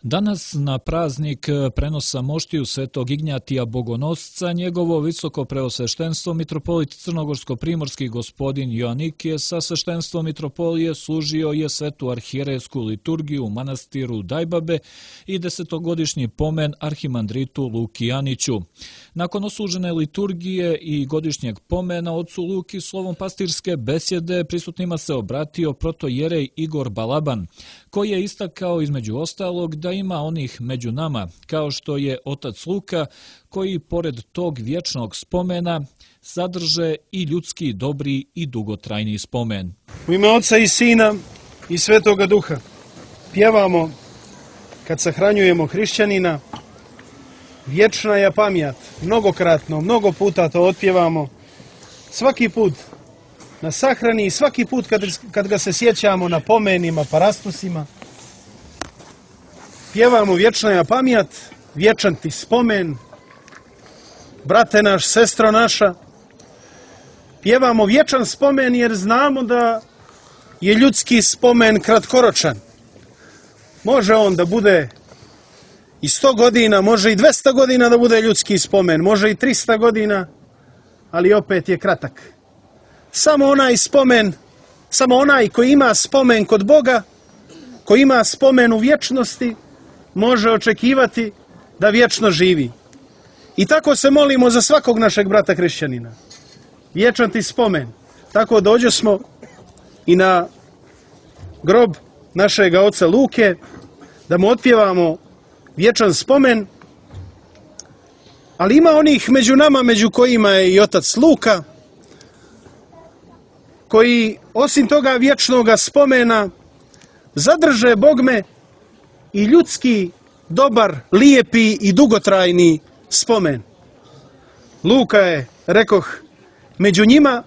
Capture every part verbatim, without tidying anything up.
Danas na praznik prenosa moštiju svetog Ignjatija Bogonosca njegovo visoko preosveštenstvo mitropolit crnogorsko-primorski gospodin Joanikije sa sveštenstvom mitropolije služio je svetu arhijerejsku liturgiju u manastiru Dajbabe i desetogodišnji pomen arhimandritu Luki Aniću. Nakon oslužene liturgije i godišnjeg pomena ocu Luki slovom pastirske besjede prisutnima se obratio protojerej Igor Balaban, koji je istakao između ostalog da ima onih među nama, kao što je otac Luka, koji pored tog vječnog spomena sadrže i ljudski dobri i dugotrajni spomen. U ime Oca i Sina i Svetoga Duha pjevamo kad sahranjujemo hrišćanina, vječna je pamjat, mnogokratno, mnogo puta to otpjevamo, svaki put na sahrani i svaki put kad, kad ga se sjećamo na pomenima, parastusima. Pjevamo vječna je pamjat, vječan ti spomen, brate naš, sestro naša. Pjevamo vječan spomen jer znamo da je ljudski spomen kratkoročan. Može on da bude i sto godina, može i dvesta godina da bude ljudski spomen, može i trista godina, ali opet je kratak. Samo onaj spomen, samo onaj koji ima spomen kod Boga, koji ima spomen u vječnosti, može očekivati da vječno živi. I tako se molimo za svakog našeg brata hrišćanina. Vječan ti spomen. Tako dođo smo i na grob našega oca Luke, da mu otpjevamo vječan spomen, ali ima onih među nama, među kojima je i otac Luka, koji osim toga vječnoga spomena zadrže bogme i ljudski, dobar, lijepi i dugotrajni spomen. Luka je, rekoh, među njima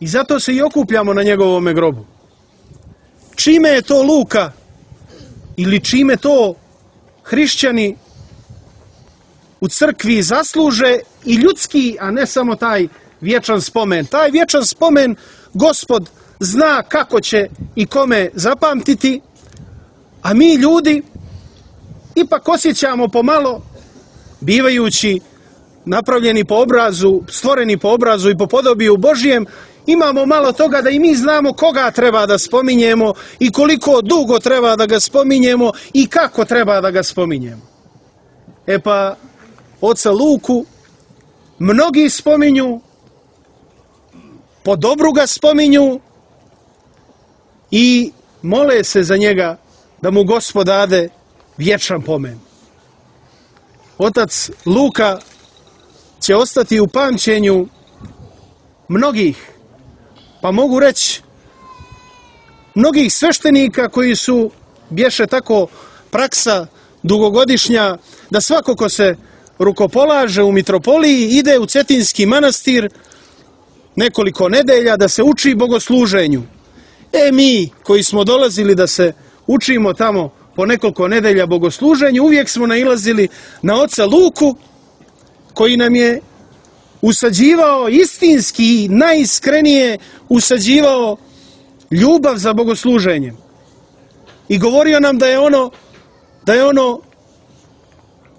i zato se i okupljamo na njegovome grobu. Čime je to Luka ili čime to hrišćani u crkvi zasluže i ljudski, a ne samo taj vječan spomen. Taj vječan spomen Gospod zna kako će i kome zapamtiti, a mi ljudi ipak osjećamo pomalo, bivajući napravljeni po obrazu, stvoreni po obrazu i po podobiju Božijem, imamo malo toga da i mi znamo koga treba da spominjemo i koliko dugo treba da ga spominjemo i kako treba da ga spominjemo. E pa, oca Luku mnogi spominju, po dobru ga spominju i mole se za njega da mu Gospod dade vječan pomen. Otac Luka će ostati u pamćenju mnogih, pa mogu reći mnogih sveštenika koji su, bješe tako praksa dugogodišnja, da svako ko se rukopolaže u mitropoliji ide u Cetinski manastir nekoliko nedelja da se uči bogosluženju. E mi koji smo dolazili da se učimo tamo po nekoliko nedelja bogosluženju, uvijek smo nailazili na oca Luku, koji nam je usađivao istinski, najiskrenije usađivao ljubav za bogosluženjem. I govorio nam da je ono, da je ono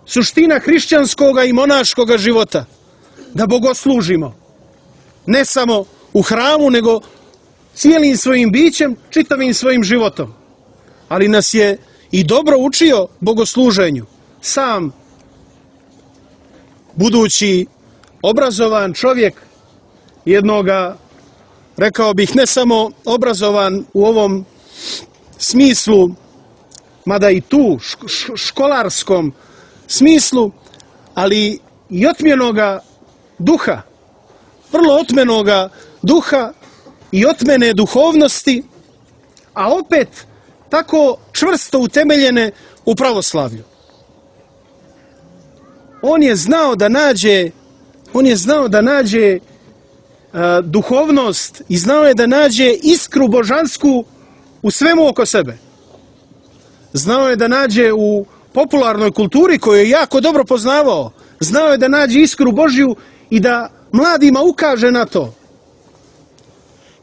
suština hrišćanskoga i monaškoga života, da bogoslužimo. Ne samo u hramu, nego cijelim svojim bićem, čitavim svojim životom. Ali nas je i dobro učio bogosluženju. Sam, budući obrazovan čovjek, jednoga, rekao bih, ne samo obrazovan u ovom smislu, mada i tu školarskom smislu, ali i otmjenoga duha, vrlo otmjenoga duha i otmjene duhovnosti, a opet tako čvrsto utemeljene u pravoslavlju. On je znao da nađe, on je znao da nađe uh, duhovnost i znao je da nađe iskru božansku u svemu oko sebe. Znao je da nađe u popularnoj kulturi koju je jako dobro poznavao. Znao je da nađe iskru Božju i da mladima ukaže na to.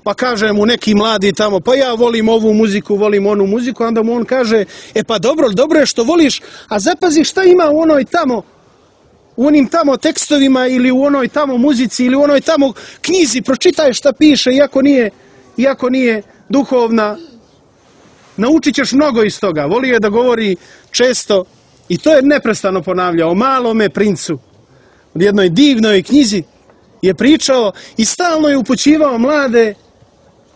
pa kaže mu neki mladi tamo, pa ja volim ovu muziku, volim onu muziku, onda mu on kaže, e pa dobro, dobro je što voliš, a zapazi šta ima u onoj tamo, u onim tamo tekstovima ili u onoj tamo muzici ili u onoj tamo knjizi, pročitaj šta piše, iako nije, iako nije duhovna, naučit ćeš mnogo iz toga. Volio je da govori često, i to je neprestano ponavljao, o malome princu, u jednoj divnoj knjizi je pričao i stalno je upućivao mlade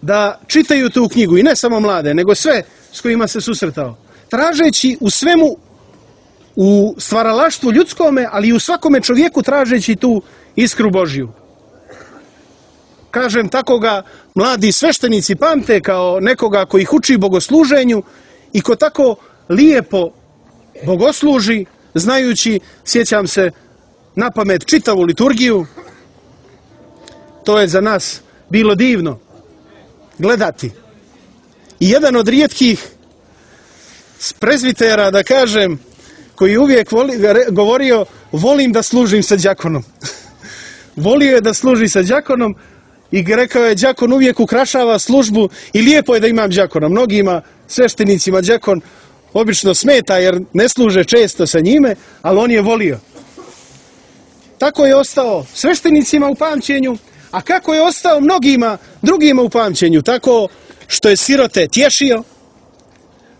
da čitaju tu knjigu, i ne samo mlade, nego sve s kojima se susretao, tražeći u svemu, u stvaralaštvu ljudskome, ali i u svakome čovjeku tražeći tu iskru Božju. Kažem, tako ga mladi sveštenici pamte kao nekoga koji ih uči bogosluženju i ko tako lijepo bogosluži, znajući, sjećam se na pamet čitavu liturgiju. To je za nas bilo divno gledati. I jedan od rijetkih prezbitera, da kažem, koji uvijek voli, govorio, volim da služim sa đakonom. Volio je da služi sa đakonom i rekao je, đakon uvijek ukrašava službu i lijepo je da imam đakona. Mnogima sveštenicima đakon obično smeta jer ne služe često sa njime, ali on je volio. Tako je ostao sveštenicima u pamćenju, a kako je ostao mnogima drugima u pamćenju, tako što je sirote tješio,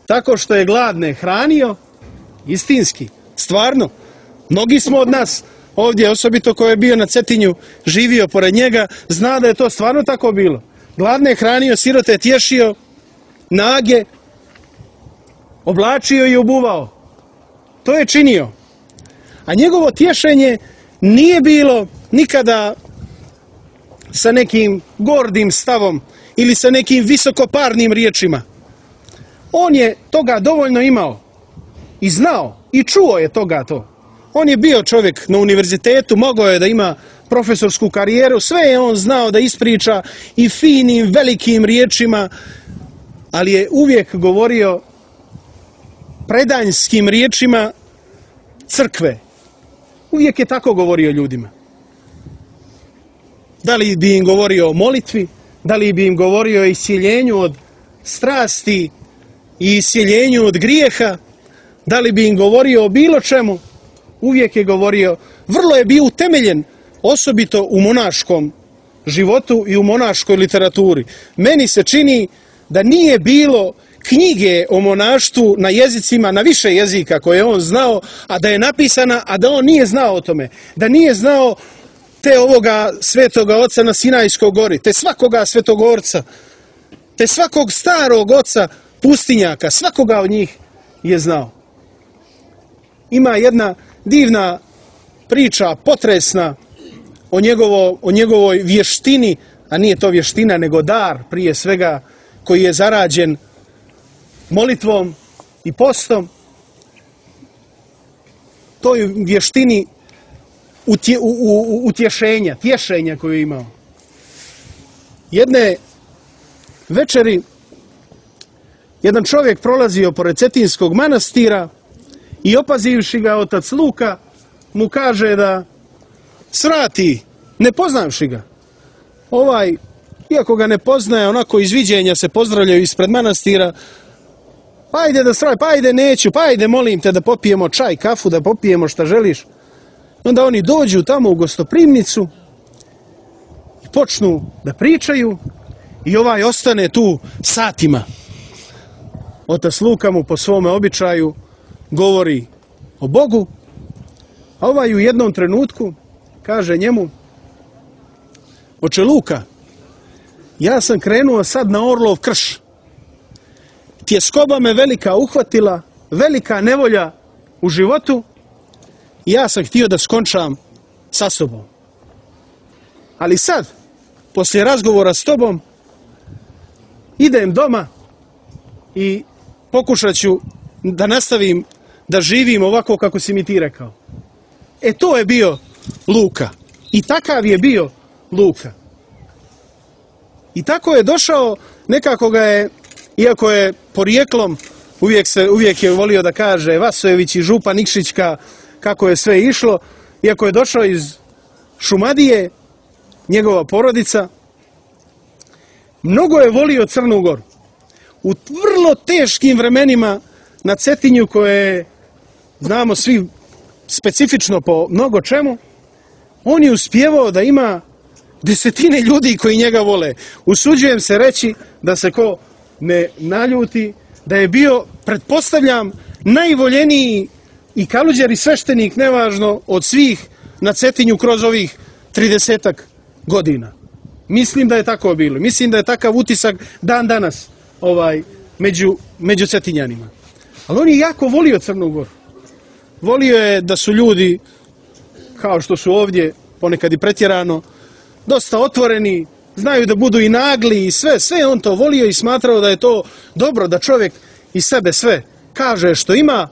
tako što je gladne hranio, istinski, stvarno. Mnogi smo od nas ovdje, osobito ko je bio na Cetinju, živio pored njega, zna da je to stvarno tako bilo. Gladne hranio, sirote tješio, nage, oblačio i obuvao. To je činio. A njegovo tješenje nije bilo nikada sa nekim gordim stavom ili sa nekim visokoparnim riječima. On je toga dovoljno imao i znao i čuo je toga to. On je bio čovjek na univerzitetu, mogao je da ima profesorsku karijeru, sve je on znao da ispriča i finim, velikim riječima, ali je uvijek govorio predanjskim riječima crkve. Uvijek je tako govorio ljudima. Da li bi im govorio o molitvi, da li bi im govorio o iscjeljenju od strasti i iscjeljenju od grijeha, da li bi im govorio o bilo čemu, uvijek je govorio, vrlo je bio utemeljen, osobito u monaškom životu i u monaškoj literaturi. Meni se čini da nije bilo knjige o monaštvu na jezicima, na više jezika koje on znao, a da je napisana, a da on nije znao o tome. Da nije znao te ovoga svetoga oca na Sinajskoj gori, te svakoga svetogorca, te svakog starog oca pustinjaka, svakoga od njih je znao. Ima jedna divna priča, potresna, o, njegovo, o njegovoj vještini, a nije to vještina, nego dar, prije svega, koji je zarađen molitvom i postom. Toj vještini utje, u, u, utješenja, tješenja koju je imao. Jedne večeri jedan čovjek prolazio pored Cetinskog manastira i opazivši ga otac Luka mu kaže da svrati, ne poznavši ga. Ovaj, iako ga ne poznaje, onako iz viđenja se pozdravljaju ispred manastira, pa ajde da svrati, pa ajde neću, pa ajde molim te da popijemo čaj, kafu, da popijemo šta želiš. Onda oni dođu tamo u gostoprimnicu i počnu da pričaju i ovaj ostane tu satima. Otac Luka mu po svome običaju govori o Bogu, a ovaj u jednom trenutku kaže njemu: oče Luka, ja sam krenuo sad na Orlov krš. Tjeskoba me velika uhvatila, velika nevolja u životu i ja sam htio da skončam sa sobom. Ali sad, poslije razgovora s tobom, idem doma i pokušat ću da nastavim da živim ovako kako si mi ti rekao. E to je bio Luka. I takav je bio Luka. I tako je došao, nekako ga je, iako je porijeklom, uvijek, se, uvijek je volio da kaže Vasojević i Župa Nikšićka, kako je sve išlo, iako je došao iz Šumadije, njegova porodica, mnogo je volio Crnu Goru. U vrlo teškim vremenima na Cetinju, koje znamo svi specifično po mnogo čemu, on je uspjevao da ima desetine ljudi koji njega vole. Usuđujem se reći, da se ko ne naljuti, da je bio, pretpostavljam, najvoljeniji i kaluđer i sveštenik, nevažno, od svih na Cetinju kroz ovih tridesetak godina. Mislim da je tako bilo. Mislim da je takav utisak dan danas ovaj, među, među Cetinjanima. Ali on je jako volio Crnu Goru. Volio je da su ljudi, kao što su ovdje, ponekad i pretjerano, dosta otvoreni, znaju da budu i nagli i sve, sve on to volio i smatrao da je to dobro, da čovjek iz sebe sve kaže što ima,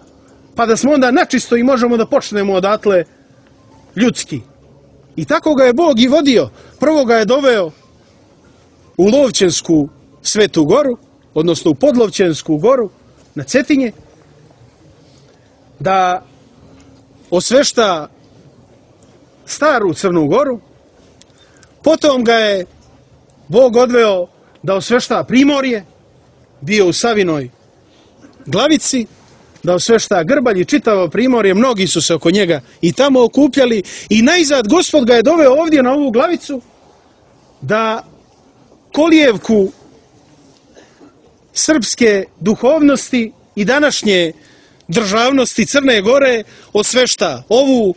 pa da smo onda načisto i možemo da počnemo odatle ljudski. I tako ga je Bog i vodio. Prvo ga je doveo u Lovćensku Svetu Goru, odnosno u Podlovćensku goru na Cetinje, da osvešta staru Crnu Goru. Potom ga je Bog odveo da osvešta Primorje, bio u Savinoj Glavici, da osvešta Grbalj i čitavo Primorje, mnogi su se oko njega i tamo okupljali i najzad Gospod ga je doveo ovdje na ovu Glavicu da kolijevku srpske duhovnosti i današnje državnosti Crne Gore osvešta ovu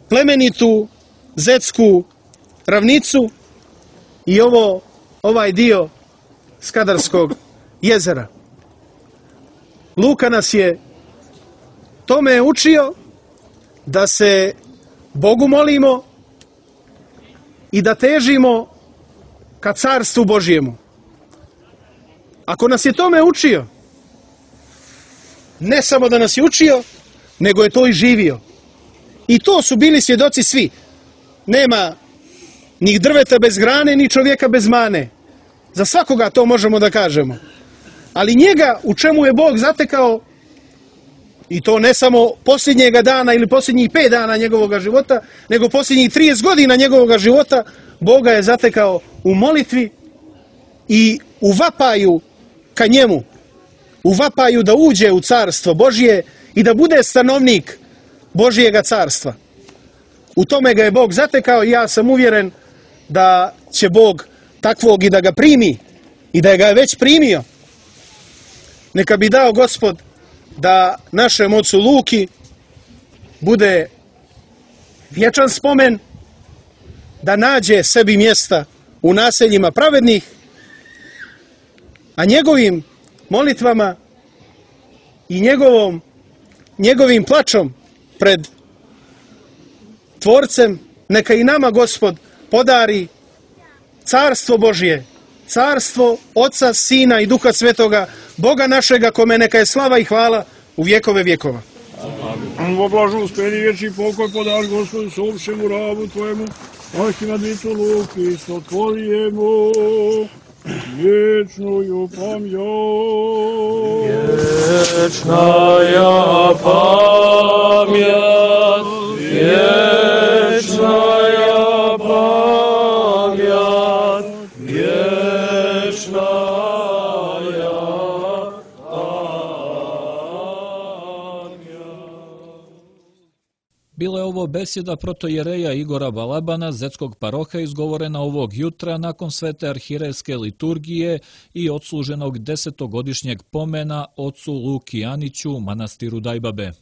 plemenitu zetsku ravnicu i ovo, ovaj dio Skadarskog jezera. Luka nas je tome učio da se Bogu molimo i da težimo ka carstvu Božjemu. Ako nas je tome učio, ne samo da nas je učio, nego je to i živio. I to su bili svjedoci svi. Nema ni drveta bez grane, ni čovjeka bez mane. Za svakoga to možemo da kažemo. Ali njega, u čemu je Bog zatekao, i to ne samo posljednjega dana ili posljednjih pet dana njegovog života, nego posljednjih trideset godina njegovog života, Boga je zatekao u molitvi i u vapaju ka njemu. U vapaju da uđe u carstvo Božje i da bude stanovnik Božjega carstva. U tome ga je Bog zatekao i ja sam uvjeren da će Bog takvog i da ga primi i da ga je već primio. Neka bi dao Gospod da našem ocu Luki bude vječan spomen, da nađe sebi mjesta u naseljima pravednih, a njegovim molitvama i njegovom, njegovim plačom pred Tvorcem neka i nama Gospod podari carstvo Božje, carstvo Oca, Sina i Duha Svetoga, Boga našega, kome neka je slava i hvala u vjekove vjekova. Amin. Во блаженстве и вечный покой подашь Господу сообщему рабу Твоему, архимандриту Луки, со Твоему вечную память. Вечная память, вечная память, вечная. Bila je ovo besjeda protojereja Igora Balabana, zetskog paroha, izgovorena ovog jutra nakon svete arhirejske liturgije i odsluženog desetogodišnjeg pomena ocu Luki Aniću u manastiru Dajbabe.